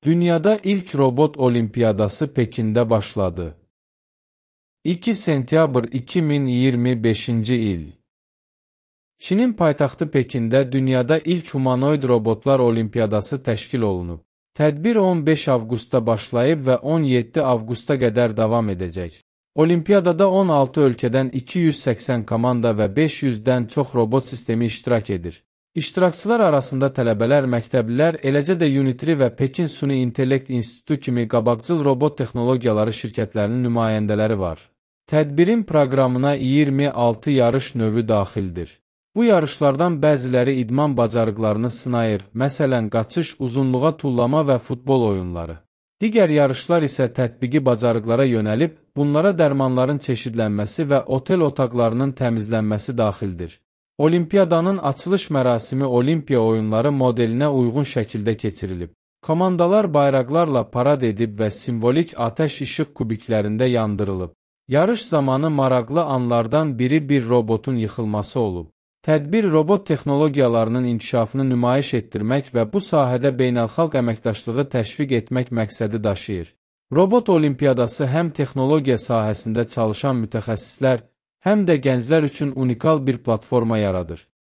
Dünyada ilk robot olimpiyadası Pekində başladı. 2 sentyabr 2025-ci il. Çinin paytaxtı Pekində dünyada ilk humanoid robotlar olimpiyadası təşkil olunub. Tədbir 15 avqustda başlayıb və 17 avqusta qədər davam edəcək. Olimpiyadada 16 ölkədən 280 komanda və 500-dən çox robot sistemi iştirak edir. İştirakçılar arasında tələbələr, məktəblilər, eləcə də Unitri və Pekin Süni İntellekt İnstitutu kimi qabaqcıl robot texnologiyaları şirkətlərinin nümayəndələri var. Tədbirin proqramına 26 yarış növü daxildir. Bu yarışlardan bəziləri idman bacarıqlarını sınayır, məsələn, qaçış, uzunluğa tullama və futbol oyunları. Digər yarışlar isə tətbiqi bacarıqlara yönəlib, bunlara dərmanların çeşidlənməsi və otel otaqlarının təmizlənməsi daxildir. Olimpiyadanın açılış mərasimi Olimpiya oyunları modelinə uyğun şəkildə keçirilib. Komandalar bayraqlarla parad edib və simvolik atəş işıq kubiklərində yandırılıb. Yarış zamanı maraqlı anlardan biri bir robotun yıxılması olub. Tədbir robot texnologiyalarının inkişafını nümayiş etdirmək və bu sahədə beynəlxalq əməkdaşlığı təşviq etmək məqsədi daşıyır. Robot olimpiyadası həm texnologiya sahəsində çalışan mütəxəssislər, həm də gənclər üçün unikal bir platforma yaradır.